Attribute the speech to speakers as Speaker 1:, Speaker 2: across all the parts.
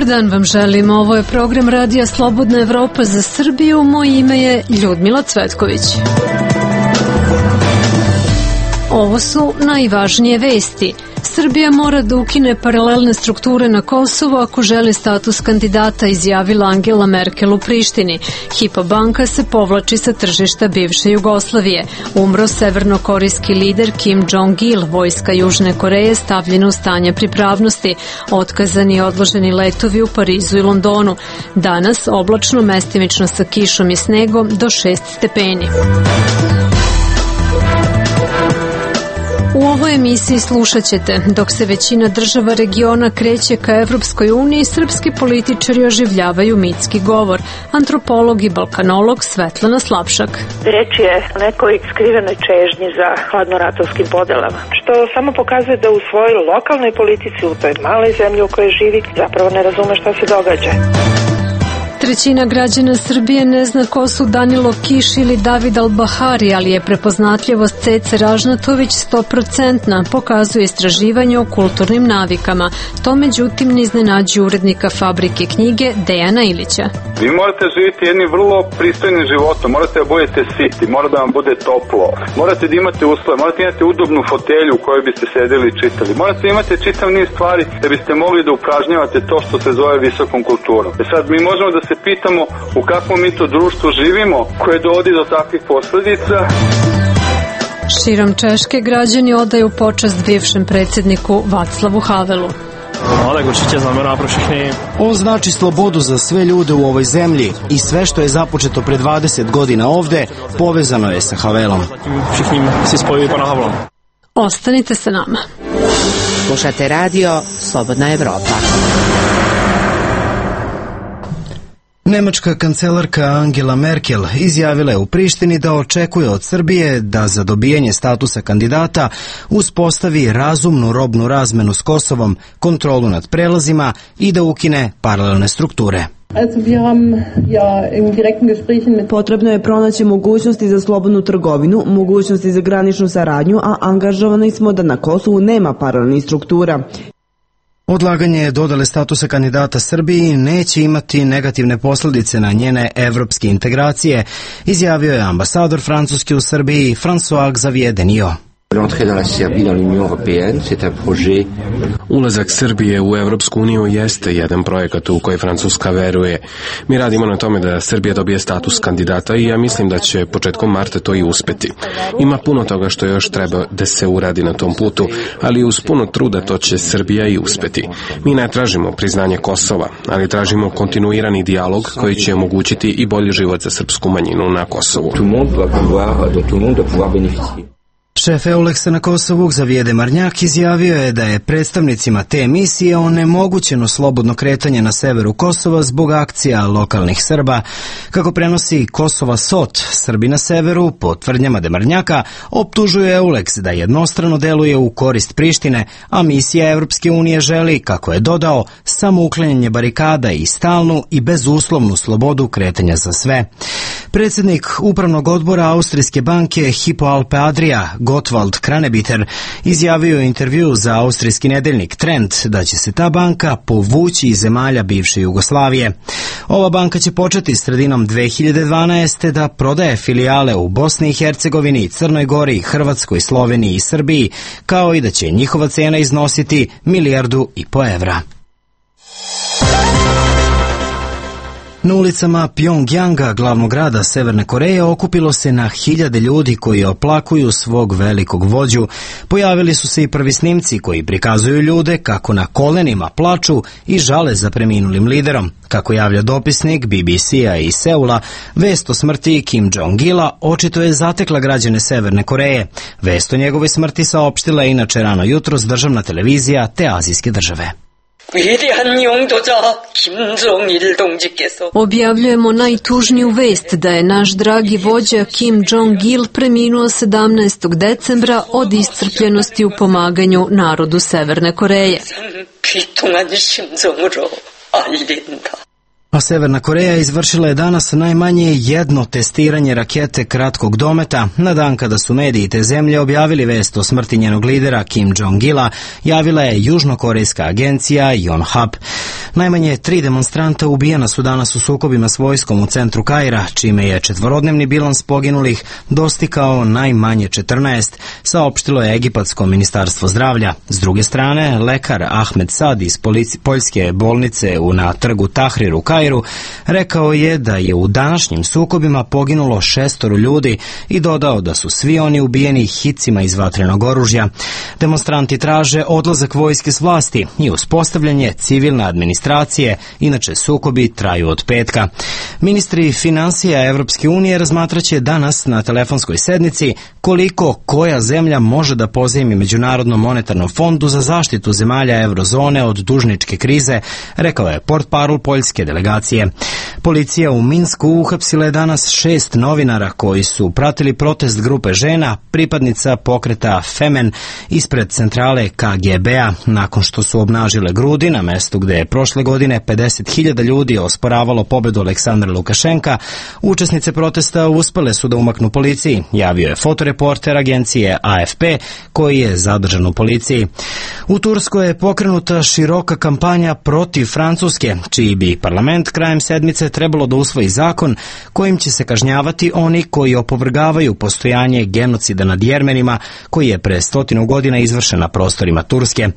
Speaker 1: dan vam želim. Ovo je program Radija Slobodna Evropa za Srbiju. Moje ime je Ljudmila Cvetković. Ovo su najvažnije vesti. Srbija mora da ukine paralelne strukture na Kosovu ako želi status kandidata, izjavila Angela Merkel u Prištini. Hypo banka se povlači sa tržišta bivše Jugoslavije. Umro severnokorejski lider Kim Jong-il. Vojska Južne Koreje stavljena u stanje pripravnosti. Otkazani i odloženi letovi u Parizu i Londonu. Danas oblačno, mestimično sa kišom i snegom do 6 stepeni. U ovoj emisiji slušat ćete, dok se većina država regiona kreće ka Evropskoj uniji, srpski političari oživljavaju mitski govor. Antropolog i balkanolog Svetlana Slapšak.
Speaker 2: Reč je o nekoj skrivenoj čežnji za hladnoratovskim podelama, što samo pokazuje da u svojoj lokalnoj politici, u toj maloj zemlji u kojoj živi, zapravo ne razume šta se događa.
Speaker 1: Trećina građana Srbije ne zna ko su Danilo Kiš ili David Al-Bahari, ali je prepoznatljivost Cece Ražnatović 100%, pokazuje istraživanje o kulturnim navikama. To međutim ne iznenađuje urednika Fabrike knjige Dejana Ilića.
Speaker 3: Vi morate živjeti jednim vrlo pristojnim životom, morate da budete siti, mora da vam bude toplo, morate da imate uslove, morate imati udobnu fotelju u kojoj biste sedeli i čitali, morate imati čitav niz stvari da biste mogli da upražnjavate to što se zove visokom kulturom. Sad mi možemo da se pitamo u kakvom mi to društvu živimo koje dovodi do takvih posledica.
Speaker 1: Širom Češke građani odaju počast bivšem predsjedniku Václavu Havelu.
Speaker 4: On znači slobodu za sve ljude u ovoj zemlji i sve što je započeto pre 20 godina ovde povezano je sa Havelom.
Speaker 1: Ostanite sa nama.
Speaker 5: Slušate radio Slobodna Evropa.
Speaker 4: Nemačka kancelarka Angela Merkel izjavila je u Prištini da očekuje od Srbije da za dobijanje statusa kandidata uspostavi razumnu robnu razmenu s Kosovom, kontrolu nad prelazima i da ukine paralelne strukture.
Speaker 6: Potrebno je pronaći mogućnosti za slobodnu trgovinu, mogućnosti za graničnu saradnju, a angažovani smo da na Kosovu nema paralelnih struktura.
Speaker 4: Odlaganje dodale statusa kandidata Srbiji neće imati negativne posljedice na njene evropske integracije, izjavio je ambasador Francuske u Srbiji François Xavier Denio.
Speaker 7: Ulazak Srbije u Evropsku uniju jeste jedan projekat u koji Francuska veruje. Mi radimo na tome da Srbija dobije status kandidata i ja mislim da će početkom marta to i uspeti. Ima puno toga što još treba da se uradi na tom putu, ali uz puno truda to će Srbija i uspeti. Mi ne tražimo priznanje Kosova, ali tražimo kontinuirani dijalog koji će omogućiti i bolji život za srpsku manjinu na Kosovu.
Speaker 4: Šef EULEX-a na Kosovu, Xavier Demarnjak, izjavio je da je predstavnicima te misije onemogućeno slobodno kretanje na severu Kosova zbog akcija lokalnih Srba. Kako prenosi Kosova SOT, Srbi na severu, po tvrdnjama Demarnjaka, optužuje EULEX da jednostrano deluje u korist Prištine, a misija Evropske unije želi, kako je dodao, samo uklanjanje barikada i stalnu i bezuslovnu slobodu kretanja za sve. Predsjednik upravnog odbora Austrijske banke Hypo Alpe Adria, Gottwald Kranebiter, izjavio u intervju za austrijski nedeljnik Trend da će se ta banka povući iz zemalja bivše Jugoslavije. Ova banka će početi sredinom 2012. da prodaje filijale u Bosni i Hercegovini, Crnoj Gori, Hrvatskoj, Sloveniji i Srbiji, kao i da će njihova cena iznositi 1,5 milijardu evra. Na ulicama Pjongjanga, glavnog grada Severne Koreje, okupilo se na hiljade ljudi koji oplakuju svog velikog vođu. Pojavili su se i prvi snimci koji prikazuju ljude kako na kolenima plaču i žale za preminulim liderom. Kako javlja dopisnik BBC-a iz Seula, vest o smrti Kim Jong-ila očito je zatekla građane Severne Koreje. Vest o njegovoj smrti saopštila je inače rano jutros državna televizija te azijske države.
Speaker 1: Objavljujemo najtužniju vest da je naš dragi vođa Kim Jong-il preminuo 17. decembra od iscrpljenosti u pomaganju narodu Severne Koreje.
Speaker 4: A Severna Koreja izvršila je danas najmanje jedno testiranje rakete kratkog dometa. Na dan kada su mediji te zemlje objavili vest o smrti njenog lidera Kim Jong-ila, javila je južnokorejska agencija Yonhap. Najmanje 3 demonstranta ubijena su danas u sukobima s vojskom u centru Kaira, čime je četvorodnevni bilans poginulih dostigao najmanje 14, saopštilo je Egipatsko ministarstvo zdravlja. S druge strane, lekar Ahmed Sad iz poljske bolnice na trgu Tahrir u Kairu rekao je da je u današnjim sukobima poginulo 6 ljudi i dodao da su svi oni ubijeni hicima iz vatrenog oružja. Demonstranti traže odlazak vojske s vlasti i uspostavljanje civilne administracije, inače sukobi traju od petka. Ministri finansija Evropske unije razmatraće danas na telefonskoj sednici koliko koja zemlja može da pozajmi Međunarodnom monetarnom fondu za zaštitu zemalja eurozone od dužničke krize, rekao je portparol poljske delegacije. Policija u Minsku uhapsila je danas 6 novinara koji su pratili protest grupe žena, pripadnica pokreta Femen, ispred centrale KGB-a, nakon što su obnažile grudi na mestu gde je prošle godine 50.000 ljudi osporavalo pobedu Aleksandra Lukašenka. Učesnice protesta uspele su da umaknu policiji, javio je fotoreporter agencije AFP koji je zadržan u policiji. U Turskoj je pokrenuta široka kampanja protiv Francuske, čiji bi parlament krajem sedmice trebalo da usvoji zakon kojim će se kažnjavati oni koji opovrgavaju postojanje genocida nad Jermenima koji je pre 100 godina izvršen na prostorima Turske.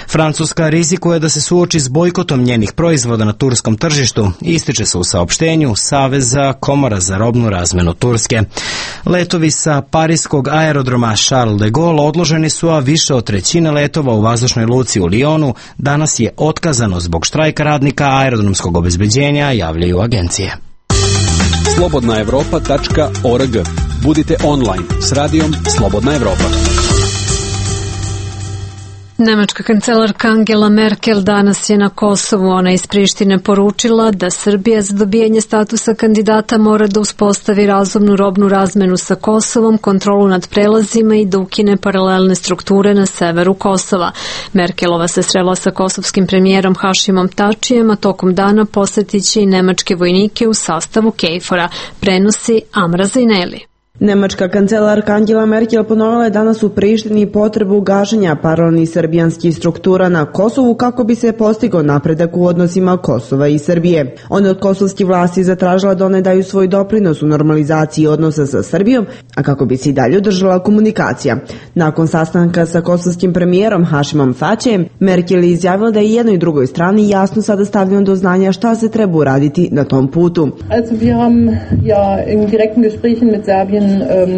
Speaker 4: Francuska rizikuje da se suoči s bojkotom njenih proizvoda na turskom tržištu, ističe se u saopštenju Saveza komora za robnu razmenu Turske. Letovi sa parijskog aerodroma Charles de Gaulle odloženi su, a više od trećine letova u vazdušnoj luci u Lyonu danas je otkazano zbog štrajka radnika aerodromskog obezbeđenja, javljaju agencije.
Speaker 8: slobodnaevropa.org. Budite online s radijom Slobodna Evropa.
Speaker 1: Nemačka kancelarka Angela Merkel danas je na Kosovu. Ona iz Prištine poručila da Srbija za dobijanje statusa kandidata mora da uspostavi razumnu robnu razmenu sa Kosovom, kontrolu nad prelazima i da ukine paralelne strukture na severu Kosova. Merkelova se srela sa kosovskim premijerom Hašimom Tačijem, a tokom dana posetiće i nemačke vojnike u sastavu KFOR-a, prenosi Amra Zajneli.
Speaker 6: Nemačka kancelarka Angela Merkel ponovila je danas u Prištini potrebu gašenja paralelnih srbijanskih struktura na Kosovu kako bi se postigao napredak u odnosima Kosova i Srbije. Ona od kosovskih vlasti zatražila da one daju svoj doprinos u normalizaciji odnosa sa Srbijom, a kako bi se i dalje održala komunikacija. Nakon sastanka sa kosovskim premijerom Hašimom Tačijem, Merkel je izjavila da je jednoj i drugoj strani jasno sada stavljeno do znanja šta se treba uraditi na tom putu.
Speaker 9: Also wir haben ja in direkten Gesprächen mit Serbien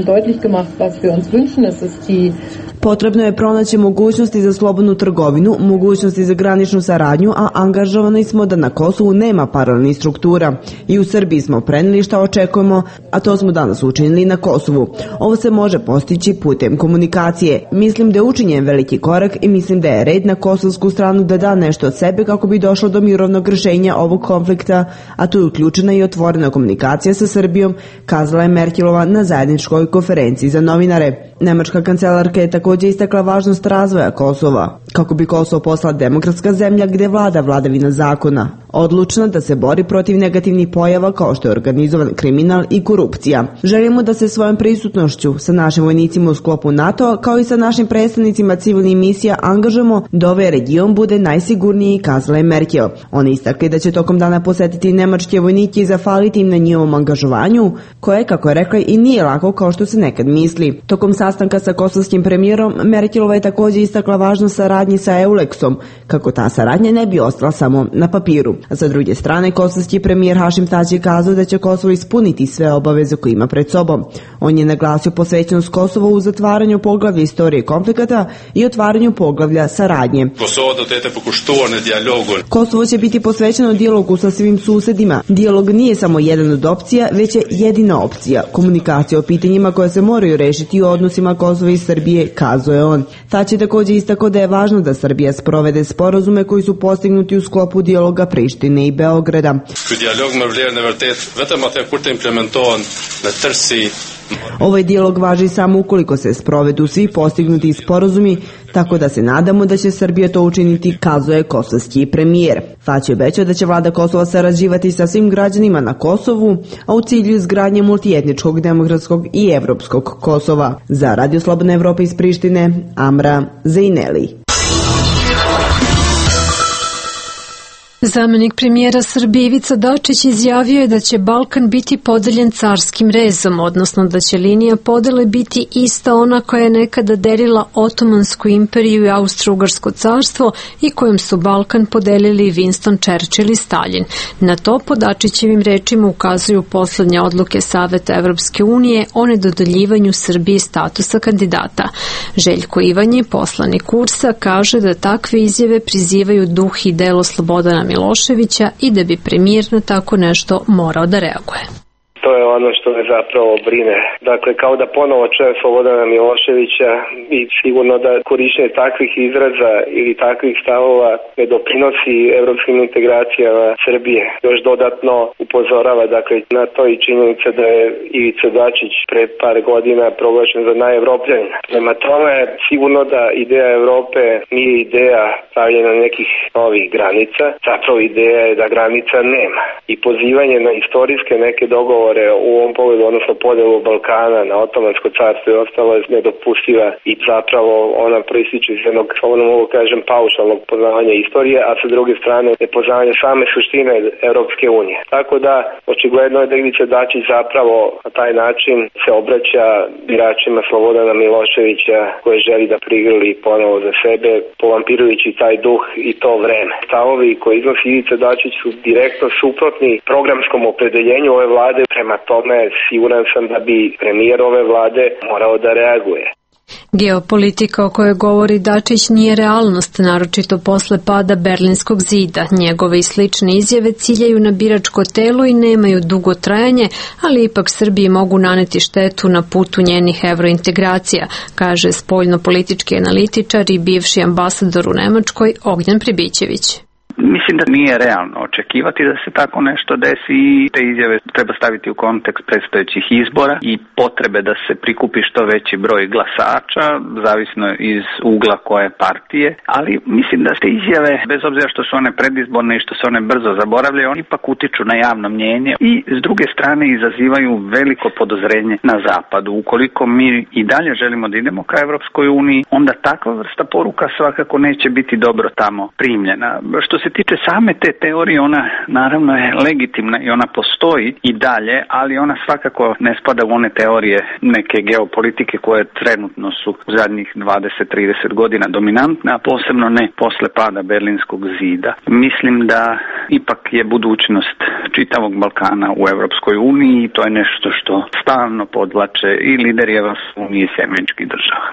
Speaker 9: deutlich gemacht, was wir uns wünschen. Es ist die
Speaker 6: Potrebno je pronaći mogućnosti za slobodnu trgovinu, mogućnosti za graničnu saradnju, a angažovani smo da na Kosovu nema paralelnih struktura. I u Srbiji smo preneli šta očekujemo, a to smo danas učinili na Kosovu. Ovo se može postići putem komunikacije. Mislim da je učinjen veliki korak i mislim da je red na kosovsku stranu da da nešto od sebe kako bi došlo do mirovnog rješenja ovog konflikta, a tu je uključena i otvorena komunikacija sa Srbijom, kazala je Merkelova na zajedničkoj konferenciji za novinare. Nemačka kancelarka je također istakla važnost razvoja Kosova, kako bi Kosovo postala demokratska zemlja gdje vlada vladavina zakona, odlučna da se bori protiv negativnih pojava kao što je organizovan kriminal i korupcija. Želimo da se svojom prisutnošću sa našim vojnicima u sklopu NATO, kao i sa našim predstavnicima civilnih misija angažujemo da ovaj region bude najsigurniji, kazala je Merkel. Oni istakli da će tokom dana posetiti nemačke vojnike i zahvaliti im na njihovom angažovanju, koje, kako je rekla, i nije lako kao što se nekad misli. Tokom sastanka sa kosovskim premijerom, Merkelova je također istakla važnost saradnji sa EULEX-om, kako ta saradnja ne bi ostala samo na papiru. A sa druge strane, kosovski premijer Hašim Tači je kazao da će Kosovo ispuniti sve obaveze koje ima pred sobom. On je naglasio posvećenost Kosova u zatvaranju poglavlja istorije konflikata i otvaranju poglavlja saradnje. Kosovo će biti posvećeno dijalogu sa svim susedima. Dijalog nije samo jedan od opcija, već je jedina opcija. Komunikacija o pitanjima koje se moraju rešiti u odnosima Kosova i Srbije, kazao je on. Tači također istakao da je važno da Srbija sprovede sporazume koji su postignuti u sklopu dijaloga Prištine i Beograda. Ovaj dijalog važi samo ukoliko se sprovedu svi postignuti sporazumi, tako da se nadamo da će Srbija to učiniti, kazuje kosovski premijer. Tači obećao da će vlada Kosova sarađivati sa svim građanima na Kosovu, a u cilju izgradnje multietničkog, demokratskog i evropskog Kosova. Za Radio Slobodna Evropa iz Prištine, Amra Zajneli.
Speaker 1: Zamenik premijera Srbije Ivica Dačić izjavio je da će Balkan biti podeljen carskim rezom, odnosno da će linija podele biti ista ona koja je nekada delila Otomansku imperiju i Austro-Ugarsko carstvo i kojom su Balkan podelili Winston Churchill i Stalin. Na to po Dačićevim rečima ukazuju poslednje odluke Saveta Evropske unije o nedodeljivanju Srbiji statusa kandidata. Željko Ivanje, poslanik URS-a, kaže da takve izjave prizivaju duh i delo Slobodana Miloševića i da bi premijer na tako nešto morao da reaguje.
Speaker 10: To je ono što me zapravo brine. Dakle, kao da ponovo čuje Slobodana Miloševića i sigurno da korištenje takvih izraza ili takvih stavova ne doprinosi evropskim integracijama Srbije. Još dodatno upozorava na to i činjenica da je Ivica Dačić pre par godina proglašen za najevropljanina. Prema tome, sigurno da ideja Evrope nije ideja pravljena nekih novih granica. Zapravo ideja je da granica nema. I pozivanje na istorijske neke dogovore u ovom pogledu, odnosno podelu Balkana na Otomansko carstvo i ostalo je nedopustiva i zapravo ona proističe iz jednog, slobodno mogu kažem, paušalnog poznavanja istorije, a sa druge strane nepoznavanja same suštine Evropske unije. Tako da, očigledno je da Ivica Dačić zapravo na taj način se obraća biračima Slobodana Miloševića koje želi da prigrli ponovo za sebe, povampirujući taj duh i to vreme. Stavovi koji iznosi Ivica Dačić su direktno suprotni programskom opredeljenju ove vlade. Prema tome, siguran sam da bi premijer ove vlade morao da reaguje.
Speaker 1: Geopolitika o kojoj govori Dačić nije realnost, naročito posle pada Berlinskog zida. Njegove i slične izjave ciljaju na biračko telo i nemaju dugo trajanje, ali ipak Srbiji mogu naneti štetu na putu njenih evrointegracija, kaže spoljno-politički analitičar i bivši ambasador u Nemačkoj Ognjen Pribićević.
Speaker 11: Mislim da nije realno očekivati da se tako nešto desi i te izjave treba staviti u kontekst predstojećih izbora i potrebe da se prikupi što veći broj glasača, zavisno iz ugla koje partije, ali mislim da te izjave, bez obzira što su one predizborne i što se one brzo zaboravljaju, oni ipak utiču na javno mnjenje i s druge strane izazivaju veliko podozrenje na zapadu. Ukoliko mi i dalje želimo da idemo ka Evropskoj uniji, onda takva vrsta poruka svakako neće biti dobro tamo primljena. Što se tiče same te teorije, ona naravno je legitimna i ona postoji i dalje, ali ona svakako ne spada u one teorije neke geopolitike koje trenutno su u zadnjih 20-30 godina dominantne, a posebno ne posle pada Berlinskog zida. Mislim da ipak je budućnost čitavog Balkana u Evropskoj uniji i to je nešto što stalno podvlače i lideri Evropske unije i američkih država.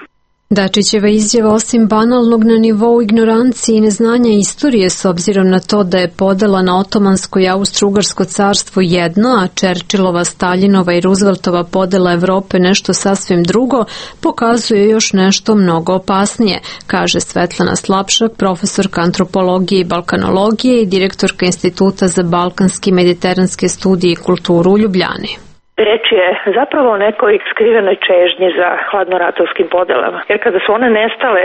Speaker 1: Dačićeva izjava osim banalnog na nivou ignorancije i neznanja istorije s obzirom na to da je podela na Otomansko i Austro-Ugarsko carstvo jedno, a Churchillova, Staljinova i Rooseveltova podela Evrope nešto sasvim drugo, pokazuje još nešto mnogo opasnije, kaže Svetlana Slapšak, profesorka antropologije i balkanologije i direktorka Instituta za balkanske i mediteranske studije i kulturu u Ljubljani.
Speaker 2: Reč je zapravo o nekoj skrivenoj čežnji za hladnoratovskim podelama. Jer kada su one nestale,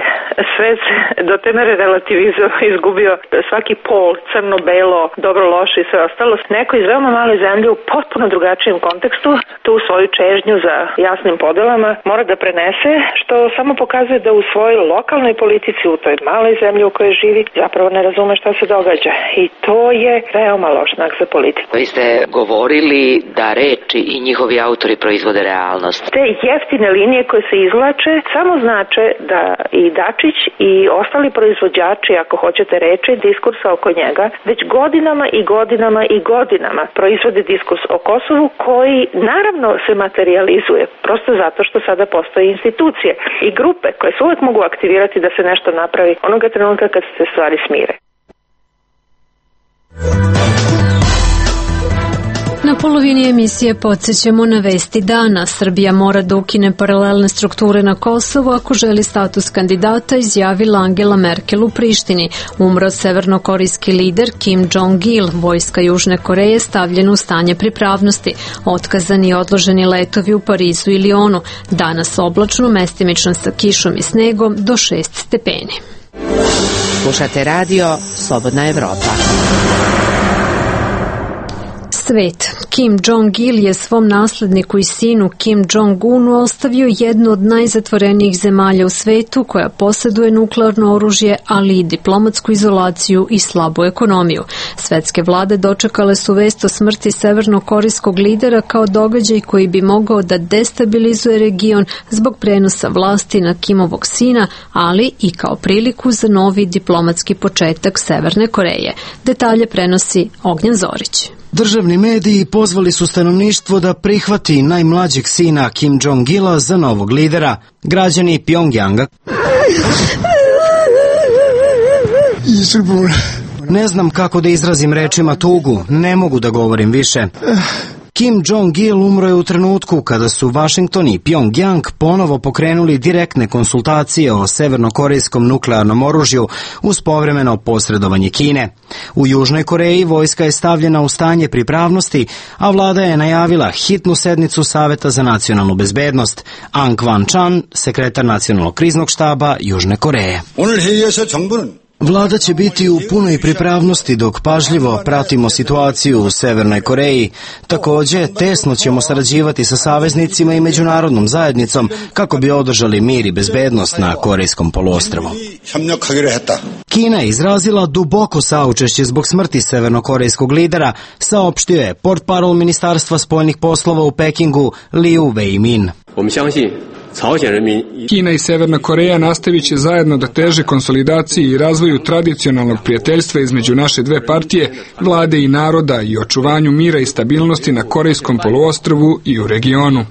Speaker 2: svet do te mere relativizam izgubio svaki pol, crno, belo, dobro, loše i sve ostalo. Neko iz veoma male zemlje u potpuno drugačijem kontekstu tu svoju čežnju za jasnim podelama mora da prenese, što samo pokazuje da u svojoj lokalnoj politici u toj maloj zemlji u kojoj živi zapravo ne razume šta se događa. I to je veoma loš znak za politiku.
Speaker 12: Vi ste govorili da reči i njihovi autori proizvode realnost.
Speaker 2: Te jeftine linije koje se izvlače samo znače da i Dačić i ostali proizvođači, ako hoćete reći, diskursa oko njega, već godinama i godinama i godinama proizvode diskurs o Kosovu koji naravno se materializuje, prosto zato što sada postoje institucije i grupe koje se uvek mogu aktivirati da se nešto napravi onoga trenutka kad se stvari smire.
Speaker 1: Na polovini emisije podsjećamo na vesti dana. Srbija mora da ukine paralelne strukture na Kosovu ako želi status kandidata, izjavila Angela Merkel u Prištini. Umro severnokorejski lider Kim Jong-il, vojska Južne Koreje stavljena u stanje pripravnosti. Otkazani i odloženi letovi u Parizu i Lionu. Danas oblačno, mestimično sa kišom i snegom do 6 stepeni.
Speaker 5: Slušate radio Slobodna Evropa.
Speaker 1: Svet. Kim Jong-il je svom nasledniku i sinu Kim Jong-unu ostavio jednu od najzatvorenijih zemalja u svetu koja posjeduje nuklearno oružje, ali i diplomatsku izolaciju i slabu ekonomiju. Svetske vlade dočekale su vest o smrti severnokorejskog lidera kao događaj koji bi mogao da destabilizuje region zbog prenosa vlasti na Kimovog sina, ali i kao priliku za novi diplomatski početak Severne Koreje. Detalje prenosi Ognjen Zorić.
Speaker 4: Državni mediji pozvali su stanovništvo da prihvati najmlađeg sina Kim Jong-ila za novog lidera. Građani Pjongjanga ne znam kako da izrazim rečima tugu, ne mogu da govorim više. Kim Jong-il umro je u trenutku kada su Washington i Pjongjang ponovo pokrenuli direktne konsultacije o severnokorejskom nuklearnom oružju uz povremeno posredovanje Kine. U Južnoj Koreji vojska je stavljena u stanje pripravnosti, a vlada je najavila hitnu sednicu Saveta za nacionalnu bezbednost. Ang Kwan-chan, sekretar nacionalnog kriznog štaba Južne Koreje. Vlada će biti u punoj pripravnosti dok pažljivo pratimo situaciju u Severnoj Koreji. Također, tesno ćemo sarađivati sa saveznicima i međunarodnom zajednicom kako bi održali mir i bezbednost na Korejskom poluostrvu. Kina je izrazila duboko saučešće zbog smrti severnokorejskog lidera, saopštio je portparol Ministarstva spoljnih poslova u Pekingu Liu Weimin.
Speaker 13: Kina i Severna Koreja nastavit će zajedno da teže konsolidaciji i razvoju tradicionalnog prijateljstva između naše dve partije, vlade i naroda i očuvanju mira i stabilnosti na Korejskom poluostrvu i u regionu.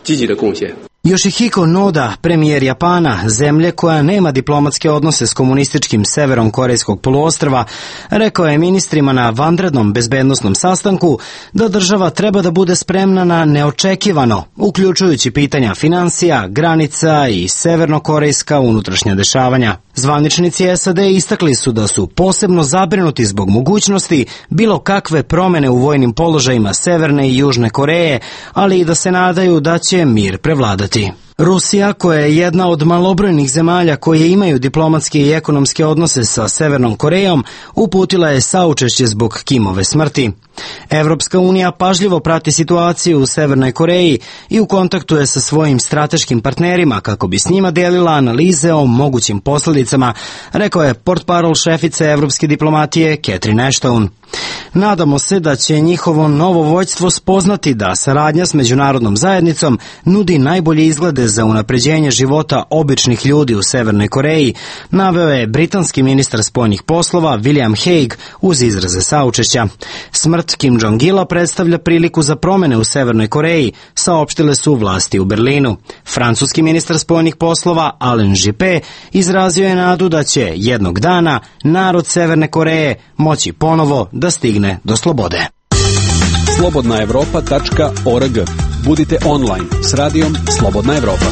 Speaker 4: Yoshihiko Noda, premijer Japana, zemlje koja nema diplomatske odnose s komunističkim severom Korejskog poluostrva, rekao je ministrima na vanrednom bezbednosnom sastanku da država treba da bude spremna na neočekivano, uključujući pitanja financija, granica i severnokorejska unutrašnja dešavanja. Zvaničnici SAD istakli su da su posebno zabrinuti zbog mogućnosti bilo kakve promene u vojnim položajima Severne i Južne Koreje, ali i da se nadaju da će mir prevladati. Rusija, koja je jedna od malobrojnih zemalja koje imaju diplomatske i ekonomske odnose sa Severnom Korejom, uputila je saučešće zbog Kimove smrti. Evropska unija pažljivo prati situaciju u Severnoj Koreji i u kontaktu je sa svojim strateškim partnerima kako bi s njima delila analize o mogućim posljedicama, rekao je portparol šefice evropske diplomatije Catherine Ashton. Nadamo se da će njihovo novo vođstvo spoznati da saradnja s međunarodnom zajednicom nudi najbolje izglede za unapređenje života običnih ljudi u Severnoj Koreji, naveo je britanski ministar spoljnih poslova William Hague uz izraze saučešća. Smrt Kim Jong-ila predstavlja priliku za promene u Severnoj Koreji, saopštile su vlasti u Berlinu. Francuski ministar spoljnih poslova Alain Juppé izrazio je nadu da će jednog dana narod Severne Koreje moći ponovo da stigne do slobode.
Speaker 8: Slobodnaevropa.org. Budite online s radijom Slobodna Evropa.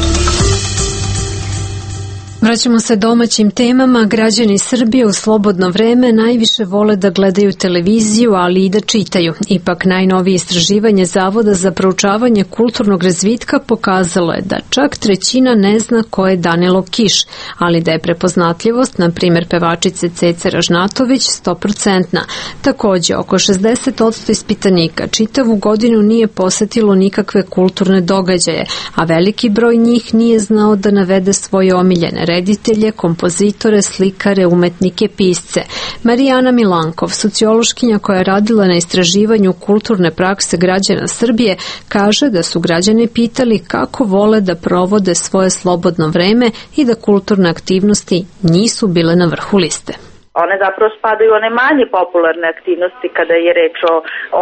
Speaker 1: Vraćamo se domaćim temama. Građani Srbije u slobodno vreme najviše vole da gledaju televiziju, ali i da čitaju. Ipak najnovije istraživanje Zavoda za proučavanje kulturnog razvitka pokazalo je da čak trećina ne zna ko je Danilo Kiš, ali da je prepoznatljivost, na primjer pevačice Cece Ražnatović, 100%. Također, oko 60% ispitanika čitavu godinu nije posetilo nikakve kulturne događaje, a veliki broj njih nije znao da navede svoje omiljene reditelje, kompozitore, slikare, umetnike, pisce. Marijana Milankov, sociološkinja koja je radila na istraživanju kulturne prakse građana Srbije, kaže da su građani pitali kako vole da provode svoje slobodno vreme i da kulturne aktivnosti nisu bile na vrhu liste.
Speaker 14: One zapravo spadaju u one manje popularne aktivnosti kada je reč o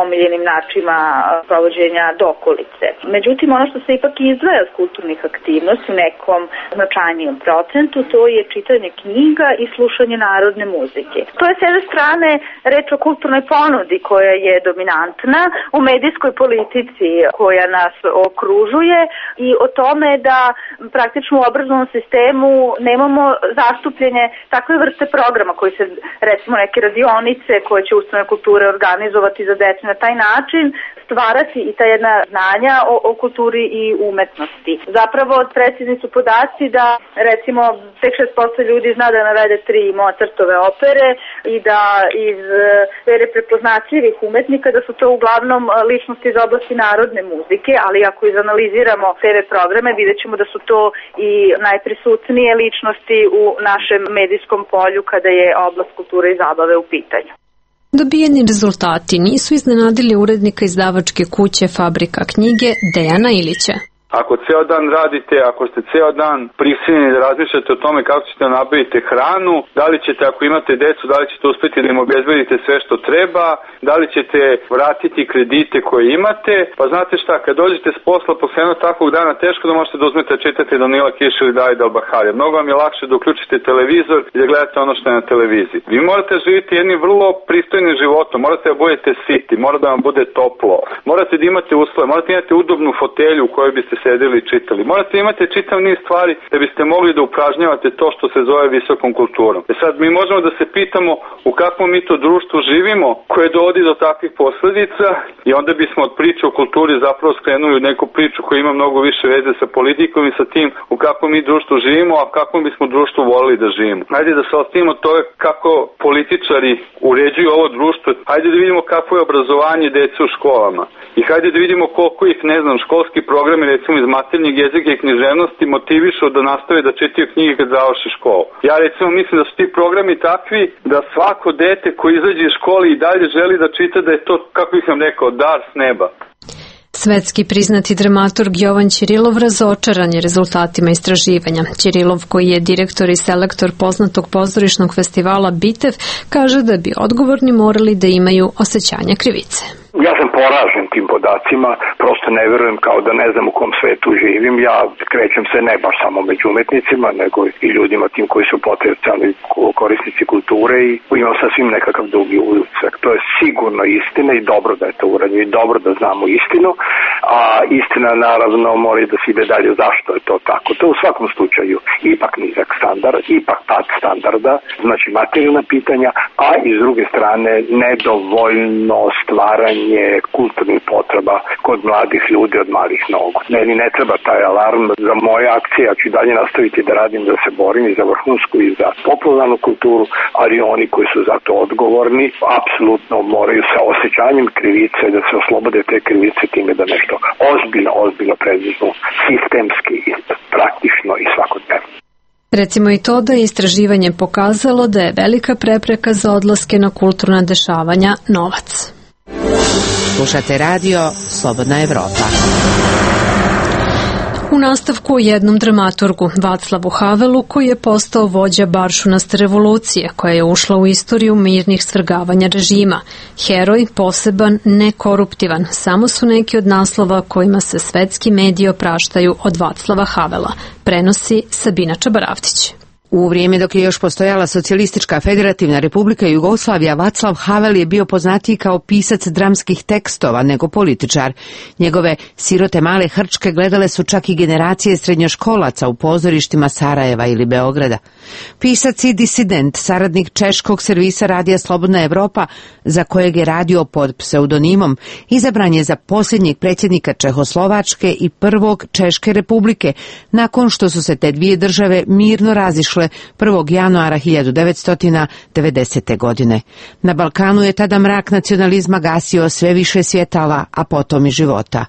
Speaker 14: omiljenim načinima provođenja dokolice. Međutim, ono što se ipak izdvaja od kulturnih aktivnosti u nekom značajnijem procentu, to je čitanje knjiga i slušanje narodne muzike. To je s jedne strane reč o kulturnoj ponudi koja je dominantna u medijskoj politici koja nas okružuje i o tome da praktično u obrazovnom sistemu nemamo zastupljenje takve vrste programa koji recimo neke radionice koje će ustanove kulture organizovati za decu na taj način stvarati i ta jedna znanja o kulturi i umetnosti. Zapravo precizni su podaci da recimo tek 6% ljudi zna da navede 3 Mozartove opere i da iz sfere prepoznatljivih umetnika da su to uglavnom ličnosti iz oblasti narodne muzike, ali ako izanaliziramo TV programe vidjet ćemo da su to i najprisutnije ličnosti u našem medijskom polju kada je oblast kulture i zabave u pitanju.
Speaker 1: Dobijeni rezultati nisu iznenadili urednika izdavačke kuće Fabrika knjige Dejana Ilića.
Speaker 3: Ako ceo dan radite, ako ste ceo dan prisiljeni da razmišljate o tome kako ćete nabaviti hranu, da li ćete, ako imate decu, da li ćete uspeti da im obezbedite sve što treba, da li ćete vratiti kredite koje imate, pa znate šta, kad dođete s posla posle jednog takvog dana, teško da možete da uzmete da čitate Danila Kiša ili Davida Albaharija. Mnogo vam je lakše da uključite televizor i da gledate ono što je na televiziji. Vi morate živjeti jednim vrlo pristojnim životom, morate da budete siti, mora da vam bude toplo, morate da imate uslove, morate da imate udobnu fotelju u kojoj biste sedeli i čitali. Morate imati čitav niz stvari da biste mogli da upražnjavate to što se zove visokom kulturom. Sad mi možemo da se pitamo u kakvom mi to društvu živimo koje dovodi do takvih posledica i onda bismo od priče o kulturi zapravo skrenuli u neku priču koja ima mnogo više veze sa politikom i sa tim u kakvom mi društvu živimo, a kakvom bismo društvu volili da živimo. Hajde da se ostavimo to kako političari uređuju ovo društvo. Hajde da vidimo kako je obrazovanje dece u školama. I hajde da vidimo koliko ih, školski programi recimo iz maternjeg jezika i književnosti motivišu da nastave da čitaju knjige kad završi školu. Ja recimo mislim da su ti programi takvi da svako dete koji izađe iz škole i dalje želi da čita, da je to, kako bih vam rekao, dar s neba.
Speaker 1: Svetski priznati dramaturg Jovan Ćirilov razočaran je rezultatima istraživanja. Ćirilov, koji je direktor i selektor poznatog pozorišnog festivala Bitev, kaže da bi odgovorni morali da imaju osjećanja krivice.
Speaker 15: Ja sam poražen tim podacima, prosto ne verujem, kao da ne znam u kom svetu živim. Ja krećem se ne baš samo među umetnicima, nego i ljudima tim koji su potencijalni korisnici kulture i imam sasvim nekakav drugi utisak. To je sigurno istina i dobro da je to urađeno i dobro da znamo istinu, a istina naravno mora da se ide dalje zašto je to tako. To u svakom slučaju ipak nizak standard, ipak pad standarda, znači materijalna pitanja, a i s druge strane nedovoljno stvaranje kulturnih potreba kod mladih ljudi od malih nogu. Meni ne treba taj alarm za moje akcije, ja ću dalje nastaviti da radim, da se borim i za vrhunsku i za popularnu kulturu, ali oni koji su za to odgovorni apsolutno moraju sa osjećanjem krivice da se oslobode te krivice time da nešto ozbiljno preduzmu sistemski, praktično i svakodnevno.
Speaker 1: Recimo i to da je istraživanje pokazalo da je velika prepreka za odlaske na kulturna dešavanja novac.
Speaker 5: Slušate radio Slobodna Evropa.
Speaker 1: U nastavku o jednom dramaturgu, Vaclavu Havelu, koji je postao vođa baršunaste revolucije, koja je ušla u istoriju mirnih svrgavanja režima. Heroj, poseban, nekoruptivan, samo su neki od naslova kojima se svetski mediji opraštaju od Vaclava Havela, prenosi Sabina Čabaravtić.
Speaker 5: U vrijeme dok je još postojala Socijalistička federativna republika Jugoslavija, Vaclav Havel je bio poznatiji kao pisac dramskih tekstova nego političar. Njegove Sirote male Hrčke gledale su čak i generacije srednjoškolaca u pozorištima Sarajeva ili Beograda. Pisac i disident, saradnik češkog servisa radija Slobodna Evropa, za kojeg je radio pod pseudonimom, izabran je za posljednjeg predsjednika Čehoslovačke i prvog Češke republike, nakon što su se te dvije države mirno razišle 1. januara 1990. godine. Na Balkanu je tada mrak nacionalizma gasio sve više svjetala, a potom i života.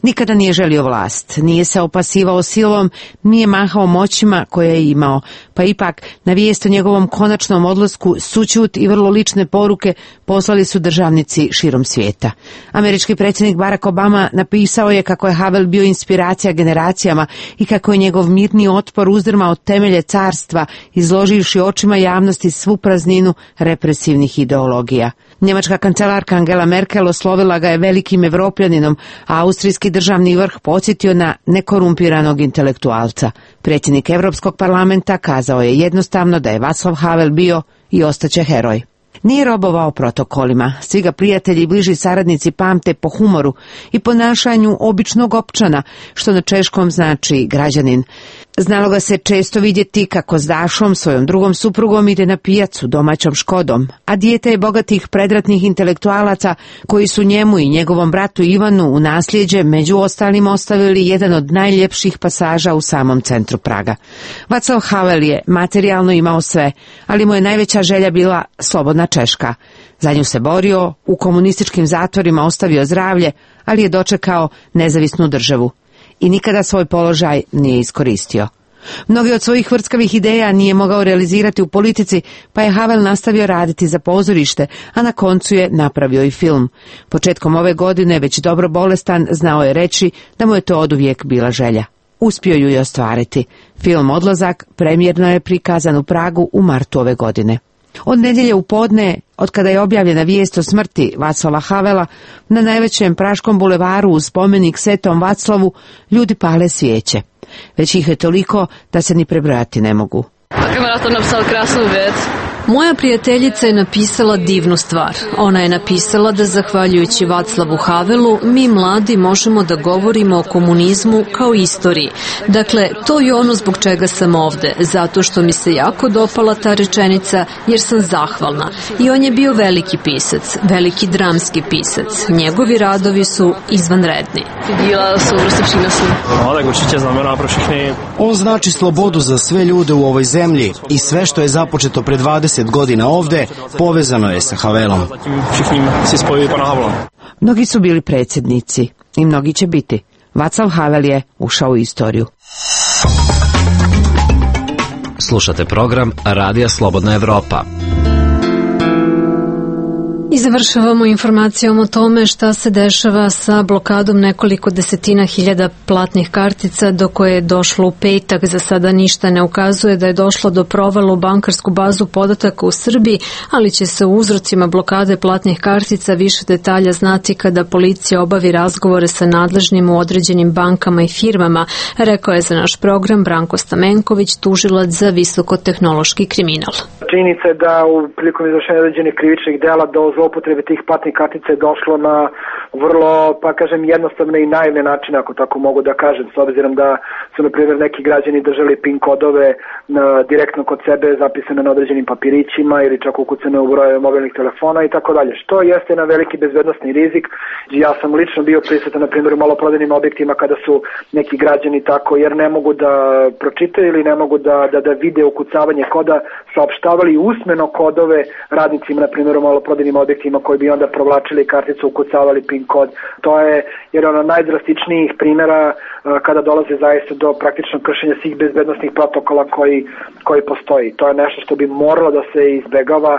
Speaker 5: Nikada nije želio vlast, nije se opasivao silom, nije mahao moćima koje je imao, pa ipak na vijest o njegovom konačnom odlasku sućut i vrlo lične poruke poslali su državnici širom svijeta. Američki predsjednik Barack Obama napisao je kako je Havel bio inspiracija generacijama i kako je njegov mirni otpor uzdrmao temelje carstva, izloživši očima javnosti svu prazninu represivnih ideologija. Njemačka kancelarka Angela Merkel oslovila ga je velikim Evropljaninom, a austrijski državni vrh podsjetio na nekorumpiranog intelektualca. Predsjednik Europskog parlamenta kazao je jednostavno da je Václav Havel bio i ostaće heroj. Nije robovao protokolima, svi ga prijatelji i bliži saradnici pamte po humoru i ponašanju običnog opčana, što na češkom znači građanin. Znalo ga se često vidjeti kako s Dašom, svojom drugom suprugom, ide na pijacu domaćom Škodom, a dijete je bogatih predratnih intelektualaca koji su njemu i njegovom bratu Ivanu u nasljeđe među ostalim ostavili jedan od najljepših pasaža u samom centru Praga. Václav Havel je materijalno imao sve, ali mu je najveća želja bila slobodna Češka. Za nju se borio, u komunističkim zatvorima ostavio zdravlje, ali je dočekao nezavisnu državu. I nikada svoj položaj nije iskoristio. Mnogi od svojih vrckavih ideja nije mogao realizirati u politici, pa je Havel nastavio raditi za pozorište, a na koncu je napravio i film. Početkom ove godine, već dobro bolestan, znao je reći da mu je to oduvijek bila želja. Uspio ju je ostvariti. Film Odlazak premijerno je prikazan u Pragu u martu ove godine. Od nedjelje u podne, od kada je objavljena vijest o smrti Václava Havela, na najvećem praškom bulevaru uz spomenik Svetom Václavu ljudi pale svijeće. Već ih je toliko da se ni prebrojati ne mogu.
Speaker 1: Moja prijateljica je napisala divnu stvar. Ona je napisala da zahvaljujući Václavu Havelu mi mladi možemo da govorimo o komunizmu kao istoriji. Dakle, to je ono zbog čega sam ovde, zato što mi se jako dopala ta rečenica jer sam zahvalna. I on je bio veliki pisac, veliki dramski pisac. Njegovi radovi su izvanredni.
Speaker 4: On znači slobodu za sve ljude u ovoj zemlji i sve što je započeto pre 20 godina ovde, povezano je sa Havelom.
Speaker 5: Mnogi su bili predsjednici i mnogi će biti. Václav Havel je ušao u istoriju.
Speaker 16: Slušate program Radija Slobodna Evropa.
Speaker 1: I završavamo informacijom o tome šta se dešava sa blokadom nekoliko desetina hiljada platnih kartica do koje je došlo u petak. Za sada ništa ne ukazuje da je došlo do provala u bankarsku bazu podataka u Srbiji, ali će se u uzrocima blokade platnih kartica više detalja znati kada policija obavi razgovore sa nadležnim u određenim bankama i firmama, rekao je za naš program Branko Stamenković, tužilac za visokotehnološki kriminal.
Speaker 17: Činjenica je da u prilikom izvršenja određenih krivičnih dela do zloupotrebe tih platnih kartica je došlo na vrlo, pa kažem, jednostavne i naivne načine, ako tako mogu da kažem, s obzirom da su, na primjer, neki građani držali PIN kodove direktno kod sebe zapisane na određenim papirićima ili čak ukucane u brojeve mobilnih telefona i tako dalje, što jeste na veliki bezbednosni rizik. Ja sam lično bio prisutan, na primjer, u maloprodajnim objektima kada su neki građani tako, jer ne mogu da pročitaju ili ne mogu da vide ukucavanje koda, saopštavali usmeno kodove radnicima, na primjer, u maloprodajnim objektima koji bi onda provlačili karticu, ukucavali PIN kod. To je jedan od najdrastičnijih primjera kada dolaze zaista do praktičnog kršenja svih bezbednosnih protokola koji postoji. To je nešto što bi moralo da se izbegava.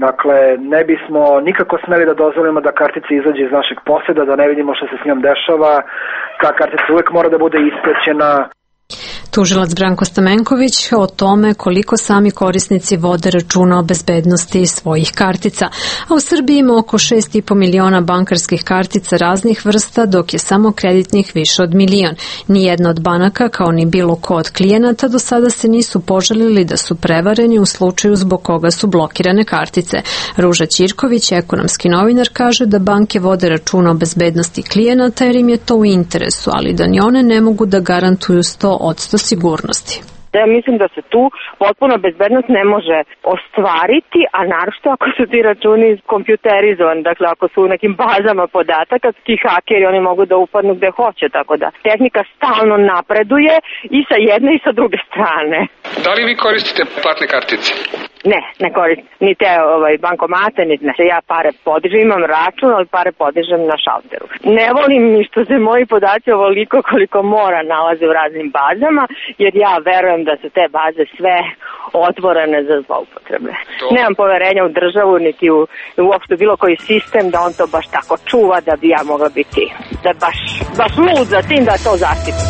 Speaker 17: Dakle, ne bismo nikako smeli da dozvolimo da kartica izađe iz našeg poseda, da ne vidimo što se s njom dešava. Ta kartica uvek mora da bude ispraćena.
Speaker 1: Tužilac Branko Stamenković o tome koliko sami korisnici vode računa o bezbednosti svojih kartica. A u Srbiji ima oko 6,5 miliona bankarskih kartica raznih vrsta, dok je samo kreditnih više od milion. Nijedna od banaka, kao ni bilo ko od klijenata, do sada se nisu požalili da su prevareni u slučaju zbog koga su blokirane kartice. Ruža Ćirković, ekonomski novinar, kaže da banke vode računa o bezbednosti klijenata jer im je to u interesu, ali da ni one ne mogu da garantuju 100% sigurnosti.
Speaker 18: Ja mislim da se tu potpuno bezbednost ne može ostvariti, a naročito ako su ti računi kompjuterizovani, dakle ako su u nekim bazama podataka, ti hakeri oni mogu da upadnu gde hoće, tako da tehnika stalno napreduje i sa jedne i sa druge strane.
Speaker 13: Da li vi koristite platne kartice?
Speaker 18: Ne koristim. Ni te bankomate, niti ne. Ja pare podižem, imam račun, ali pare podižem na šalteru. Ne volim ni što se moji podaci ovoliko koliko mora nalaze u raznim bazama, jer ja verujem da su te baze sve otvorene za zloupotrebe. Nemam poverenja u državu, niti u uopšte bilo koji sistem da on to baš tako čuva da bi ja mogla biti. Da je baš lud za tim da to zaštiti.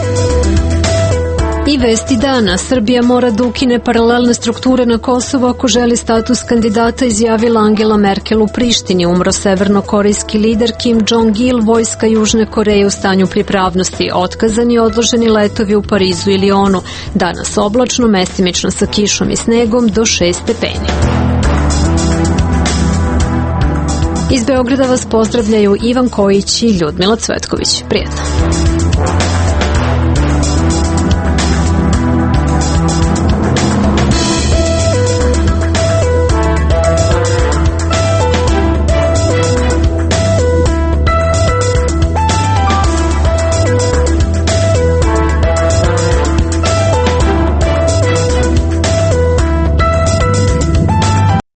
Speaker 1: I vesti dana. Srbija mora da ukine paralelne strukture na Kosovu ako želi status kandidata, izjavila Angela Merkel u Prištini. Umro severnokorejski lider Kim Jong-il, vojska Južne Koreje u stanju pripravnosti. Otkazani i odloženi letovi u Parizu i Lionu. Danas oblačno, mestimično sa kišom i snegom do 6 stepeni. Iz Beograda vas pozdravljaju Ivan Kojić i Ljudmila Cvetković. Prijetno.